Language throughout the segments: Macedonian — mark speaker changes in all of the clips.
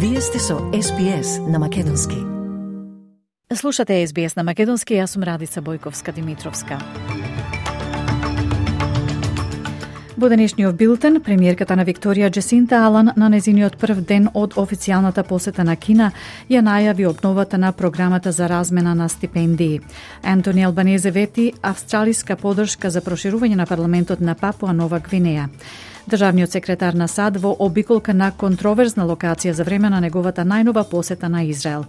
Speaker 1: Вие сте со SBS на Македонски.
Speaker 2: Слушате SBS на Македонски, јас сум Радица Бојковска-Димитровска. Во денешниот билтен, премиерката на Викторија Джесинта Алан на незиниот прв ден од официјалната посета на Кина ја најави обновата на програмата за размена на стипендии. Антони Албанезе вети австралиска поддршка за проширување на парламентот на Папуа Нова Гвинеја. Државниот секретар на САД во обиколка на контроверзна локација за време на неговата најнова посета на Израел.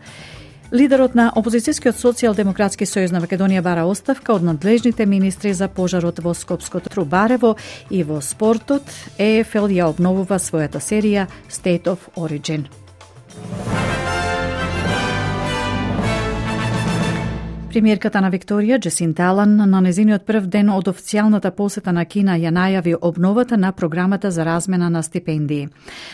Speaker 2: Лидерот на опозицијскиот социјалдемократски сојуз на Македонија бара оставка од надлежните министри за пожарот во Скопското Трубарево и во спортот. ЕФЛ ја обновува својата серија State of Origin. Премиерката на Викторија Джесинта Алан на незиниот прв ден од официјалната посета на Кина ја најави обновата на програмата за размена на стипендии.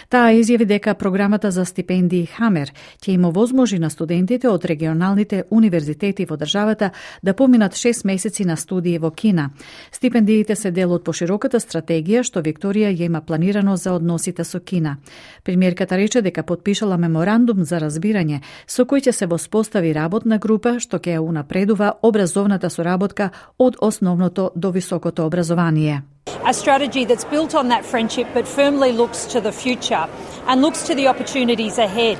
Speaker 2: Таа изјави дека програмата за стипендии Хамер ќе им овозможи на студентите од регионалните универзитети во државата да поминат 6 месеци на студии во Кина. Стипендиите се дел од пошироката стратегија што Викторија ја има планирано за односите со Кина. Премиерката рече дека потпишала меморандум за разбирање со кој ќе се воспостави работна група што ќе ја предува образовната соработка од основното до високото образование.
Speaker 3: A strategy that's built on that friendship but firmly looks to the future and looks to the opportunities ahead,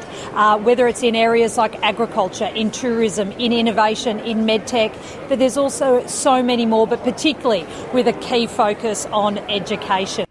Speaker 3: whether it's in areas like agriculture, in tourism, in innovation, in medtech, but there's also so many more, but particularly with a key focus on education.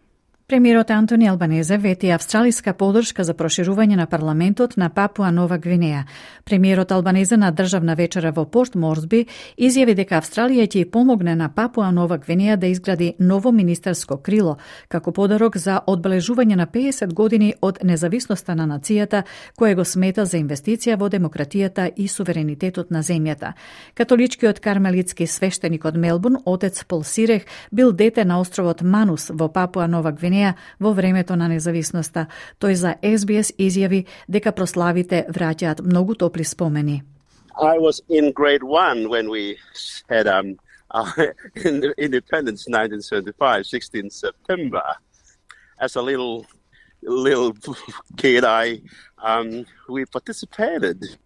Speaker 2: Премиерот Антони Албанезе вети австралиска поддршка за проширување на парламентот на Папуа Нова Гвинеја. Премиерот Албанезе на државна вечера во Порт Морсби изјави дека Австралија ќе помогне на Папуа Нова Гвинеја да изгради ново министерско крило како подарок за одбележување на 50 години од независноста на нацијата, која го смета за инвестиција во демократијата и суверенитетот на земјата. Католичкиот кармелитски свештеник од Мелбурн, отец Пол Сирех, бил дете на островот Манус во Папуа Нова Гвинеја во времето на независноста. Тој за SBS изјави дека прославите враќаат многу топли спомени.
Speaker 4: I was in grade 1 when we had independence 1975, 16 September. As a little kid, we participated.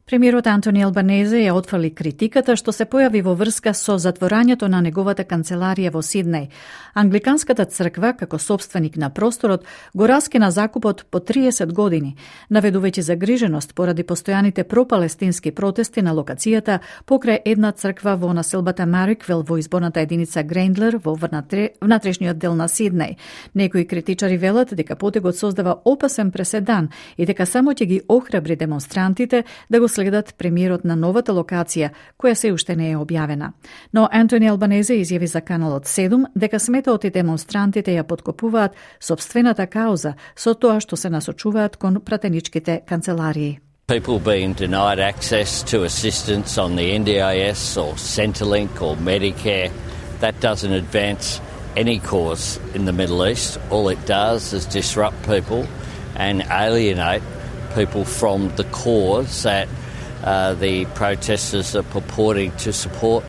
Speaker 2: Премиерот Антони Албанезе ја отфрли критиката што се појави во врска со затворањето на неговата канцеларија во Сиднеј. Англиканската црква, како собственик на просторот, го раскина закупот по 30 години, наведувајќи загриженост поради постојаните пропалестински протести на локацијата покрај една црква во населбата Мариквел во изборната единица Грендлер во внатрешниот дел на Сиднеј. Некои критичари велат дека потегот создава опасен преседан и дека само ќе ги охрабри демонстрантите да го следат премиерот на новата локација, која се уште не е објавена. Но Антони Албанезе изјави за Каналот 7 дека сметаот и демонстрантите ја подкопуваат сопствената кауза со тоа што се насочуваат кон пратеничките канцеларии.
Speaker 5: People being denied access to assistance on the NDIS or Centrelink or Medicare, that doesn't advance any cause in the Middle East. All it does is disrupt people and alienate people from the cause that the protesters are purporting to support.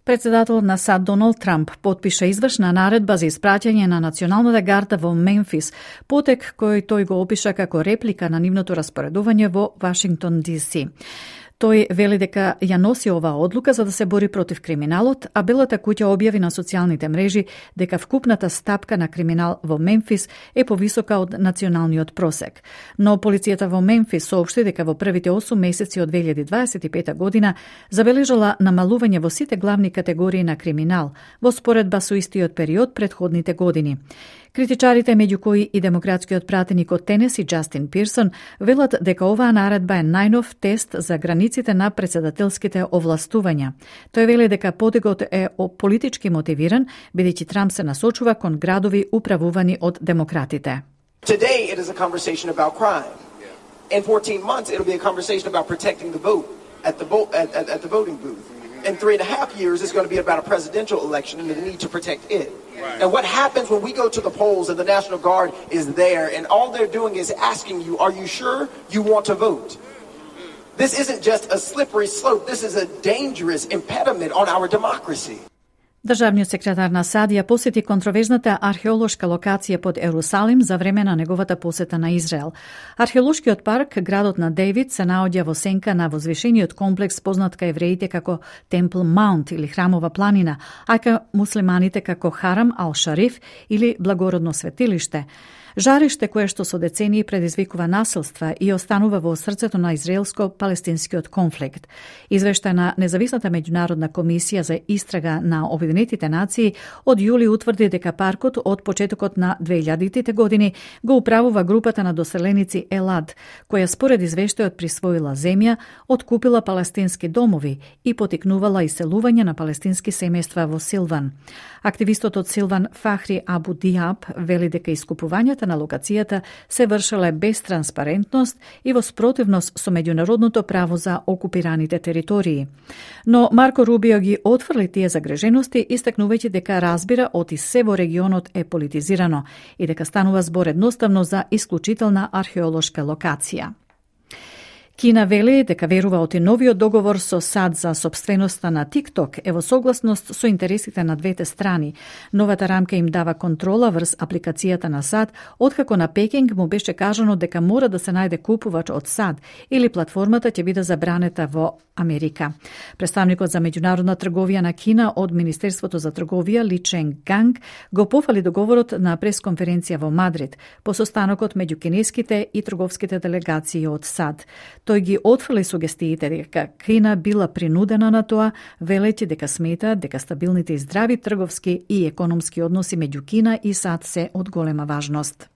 Speaker 2: Председателот на САД Доналд Трамп потпиша извршна наредба за испраќање на националната гарда во Мемфис, потек кој тој го опиша како реплика на нивното распоредување во Вашингтон ДС. Тој вели дека ја носи оваа одлука за да се бори против криминалот, а Белата куќа објави на социјалните мрежи дека вкупната стапка на криминал во Мемфис е повисока од националниот просек. Но полицијата во Мемфис соопшти дека во првите 8 месеци од 2025 година забележала намалување во сите главни категории на криминал, во споредба со истиот период претходните години. Критичарите, меѓу кои и демократскиот пратеник од Тенеси Џастин Пирсон, велат дека оваа наредба е најнов тест за границите на председателските овластувања. Тој вели дека подигот е политички мотивиран, бидејќи Трамп се насочува кон градови управувани од демократите.
Speaker 6: Today it is a conversation about crime. In 14 months it'll be a conversation about protecting the vote at the voting booth. In 3.5 years it's going to be about a presidential election and the need to protect it. Right. And what happens when we go to the polls and the National Guard is there and all they're doing is asking you, are you sure you want to vote? This isn't just a slippery slope. This is a dangerous impediment on our democracy.
Speaker 2: Државниот секретар на САД ја посети контроверзната археолошка локација под Ерусалим за време на неговата посета на Израел. Археолошкиот парк, градот на Девид, се наоѓа во сенка на возвишениот комплекс познат кај евреите како Темпл Маунт или Храмова планина, а кај муслиманите како Харам ал-Шариф или Благородно светилиште. Жариште кое што со децении предизвикува насилства и останува во срцето на израелско-палестинскиот конфликт. Извештај на Независната меѓународна комисија за истрага на Обединетите нации од јули утврди дека паркот од почетокот на 2000-тите години го управува групата на доселеници Елад, која според извештајот присвоила земја, откупила палестински домови и потикнувала иселување на палестински семејства во Силван. Активистот од Силван Фахри Абу Диаб вели дека искупувањата на локацијата се вршеле без транспарентност и во спротивност со меѓународното право за окупираните територии. Но Марко Рубио ги отфрли тие загрежености, истакнувајќи дека разбира оти се во регионот е политизирано и дека станува збор едноставно за исклучителна археолошка локација. Кина вели дека верува оти новиот договор со САД за сопственоста на TikTok е во согласност со интересите на двете страни. Новата рамка им дава контрола врз апликацијата на САД, откако на Пекинг му беше кажано дека мора да се најде купувач од САД или платформата ќе биде забранета во Америка. Представникот за меѓународна трговија на Кина од Министерството за трговија Ли Чен Ганг го пофали договорот на пресконференција во Мадрид по состанокот меѓу кинеските и трговските делегации од САД. Тој ги отфрли сугестиите дека Кина била принудена на тоа, велејќи дека смета дека стабилните и здрави трговски и економски односи меѓу Кина и САД се од голема важност.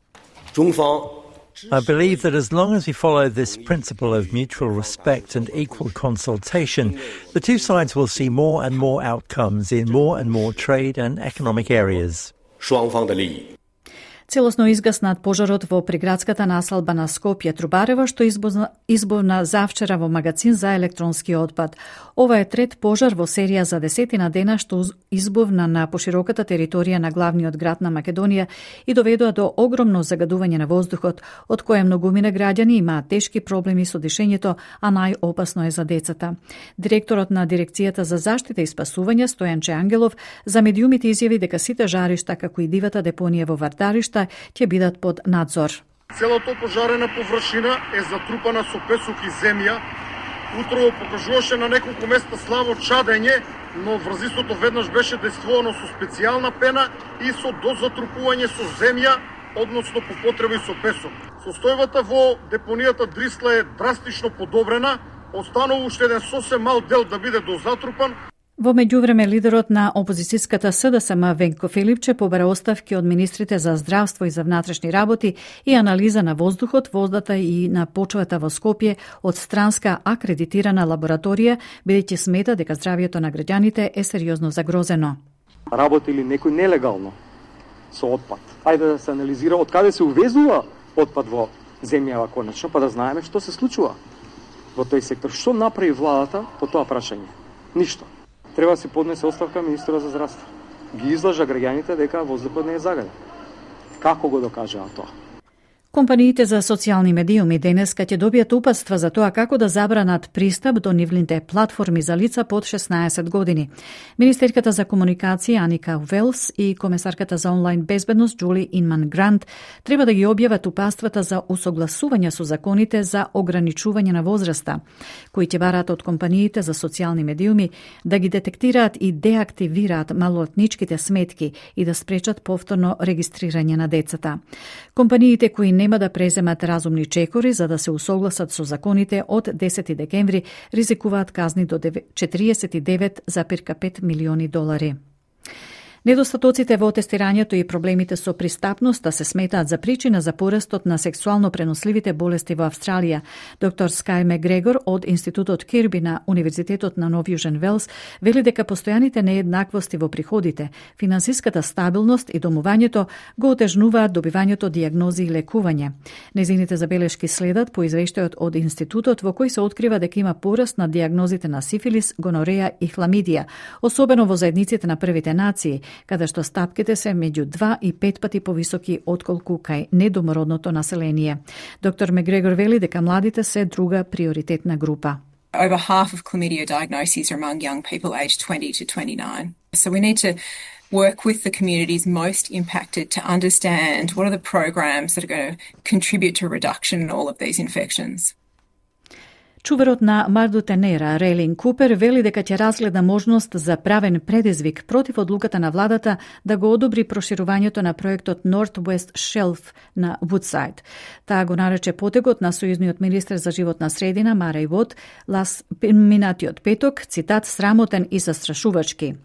Speaker 7: I believe that as long as we follow this principle of mutual respect and equal consultation, the two sides will see more and more outcomes in more and more trade and economic areas.
Speaker 2: Целосно изгаснат пожарот во приградската населба на Скопје Трубарево, што избувна завчера во магазин за електронски отпад. Ова е трет пожар во серија за 10 дена што избувна на пошироката територија на главниот град на Македонија и доведоа до огромно загадување на воздухот, од кое многумина граѓани имаат тешки проблеми со дишењето, а најопасно е за децата. Директорот на Дирекцијата за заштита и спасување Стојанче Ангелов за медиумите изјави дека сите жаришта, како и дивата депонија во Вардаришта, ќе бидат под надзор.
Speaker 8: Целото пожарена површина е затрупана со песок и земја. Утрово покажуваше на неколку места слабо чадење, но врзистото веднаш беше действувано со специјална пена и со дозатрупување со земја, односно по потреба и со песок. Состојбата во депонијата Дрисла е драстично подобрена, останува уште еден сосем мал дел да биде дозатрупан.
Speaker 2: Во меѓувреме, лидерот на опозицијската СДСМ Венко Филипче побара оставки од министрите за здравство и за внатрешни работи и анализа на воздухот, водата и на почвата во Скопје од странска акредитирана лабораторија, бидејќи смета дека здравјето на граѓаните е сериозно загрозено.
Speaker 9: Работи ли некој нелегално со отпад? Ајде да се анализира од каде се увезува отпад во земјава конечно, па да знаеме што се случува во тој сектор. Што направи владата по тоа прашање? Ништо. Треба да се поднесе оставка министерот за здравство. Ги излажа граѓаните дека воздухот не е загаден. Како го докажаа тоа?
Speaker 2: Компаниите за социјални медиуми денеска ќе добијат упатства за тоа како да забранат пристап до нивните платформи за лица под 16 години. Министерката за комуникација Аника Велс и комесарката за онлайн безбедност Джули Инман Грант треба да ги објават упатствата за усогласување со законите за ограничување на возраста, кои ќе бараат од компаниите за социјални медиуми да ги детектираат и деактивираат малолетничките сметки и да спречат повторно регистрирање на децата. Компаниите кои нема да преземат разумни чекори за да се усогласат со законите од 10 декември ризикуваат казни до 49,5 милиони долари. Недостатоците во тестирањето и проблемите со пристапноста се сметаат за причина за порастот на сексуално преносливите болести во Австралија. Доктор Скај Мегрегор од Институтот Кирби на Универзитетот на Нов Јужен Велс вели дека постојаните нееднаквости во приходите, финансиската стабилност и домувањето го отежнуваат добивањето дијагнози и лекување. Незините забелешки следат по извештајот од Институтот во кој се открива дека има пораст на дијагнозите на сифилис, гонореја и хламидија, особено во заедниците на првите нации, каде што стапките се меѓу 2 и 5 пати повисоки отколку кај недомородното население. Доктор Мегрегор вели дека младите се друга приоритетна група.
Speaker 10: Over half of chlamydia diagnoses are among young people aged 20 to 29. So we need to work with the communities most impacted to understand what are the programs that are going to contribute to a reduction in all of these infections.
Speaker 2: Чуварот на Мардутенера, Рейлин Купер, вели дека ќе разгледа можност за правен предизвик против одлуката на владата да го одобри проширувањето на проектот Northwest Shelf на Woodside. Таа го нарече потегот на сојузниот министер за животна средина Мареј Вод минатиот петок, цитат, срамотен и застрашувачки.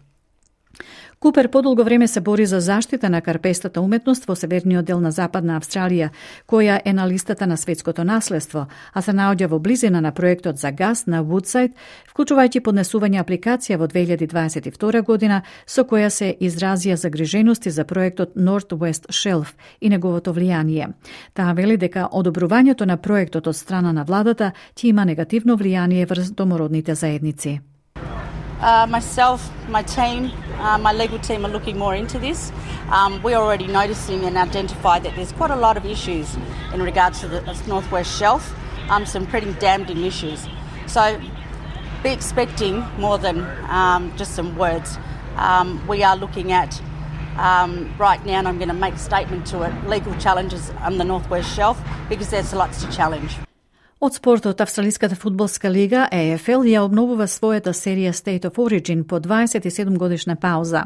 Speaker 2: Купер подолго време се бори за заштита на карпестата уметност во северниот дел на Западна Австралија, која е на листата на светското наследство, а се наоѓа во близина на проектот за газ на Woodside, вклучувајќи поднесување апликација во 2022 година, со која се изразија загрижености за проектот Northwest Shelf и неговото влијание. Таа вели дека одобрувањето на проектот од страна на владата ќе има негативно влијание врз домородните заедници.
Speaker 11: Myself, my team, my legal team are looking more into this. We're already noticing and identified that there's quite a lot of issues in regards to the Northwest Shelf, some pretty damning issues. So be expecting more than just some words. We are looking at right now, and I'm going to make a statement to it, legal challenges on the Northwest Shelf because there's lots to challenge.
Speaker 2: Од спортот, Австралиската фудбалска лига AFL ја обновува својата серија State of Origin по 27 годишна пауза.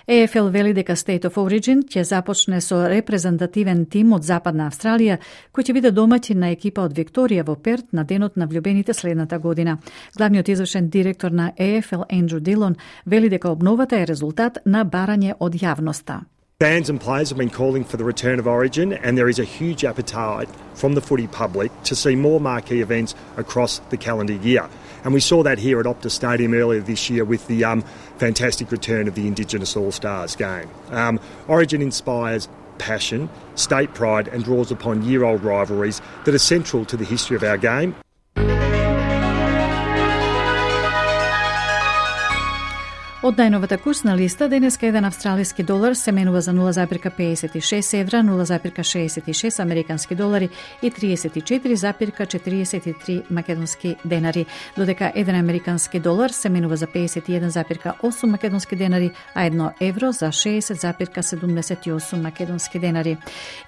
Speaker 2: AFL вели дека State of Origin ќе започне со репрезентативен тим од Западна Австралија, кој ќе биде домаќин на екипа од Викторија во Перт на денот на влюбените следната година. Главниот извршен директор на AFL Андрю Дилон вели дека обновата е резултат на барање од јавноста.
Speaker 12: Fans and players have been calling for the return of Origin, and there is a huge appetite from the footy public to see more marquee events across the calendar year. And we saw that here at Optus Stadium earlier this year with the fantastic return of the Indigenous All-Stars game. Origin inspires passion, state pride, and draws upon year-old rivalries that are central to the history of our game.
Speaker 2: Од најновата курсна листа, денеска еден австралиски долар се менува за 0,56 евра, 0,66 американски долари и 34,43 македонски денари, додека еден американски долар се менува за 51,8 македонски денари, а 1 евро за 60,78 македонски денари.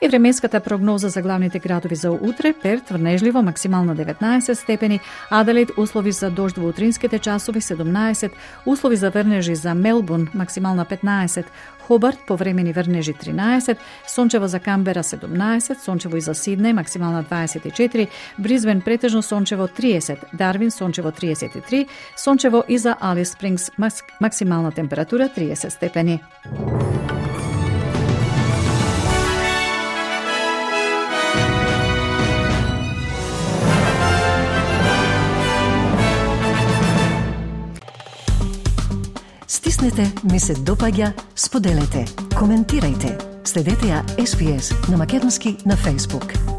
Speaker 2: И временската прогноза за главните градови за утре: Перт врнежливо, максимално 19 степени, Аделаид услови за дожд во утринските часови 17, услови за врнеж за Мелбурн максимална 15, Хобарт повремени врнежи 13, сончево за Камбера 17, сончево и за Сиднеј максимална 24, Бризбен претежно сончево 30, Дарвин сончево 33, сончево и за Алис Спрингс максимална температура 30 степени.
Speaker 1: Стиснете, ми се допаѓа, споделете, коментирајте. Следете ја SPS на Македонски на Facebook.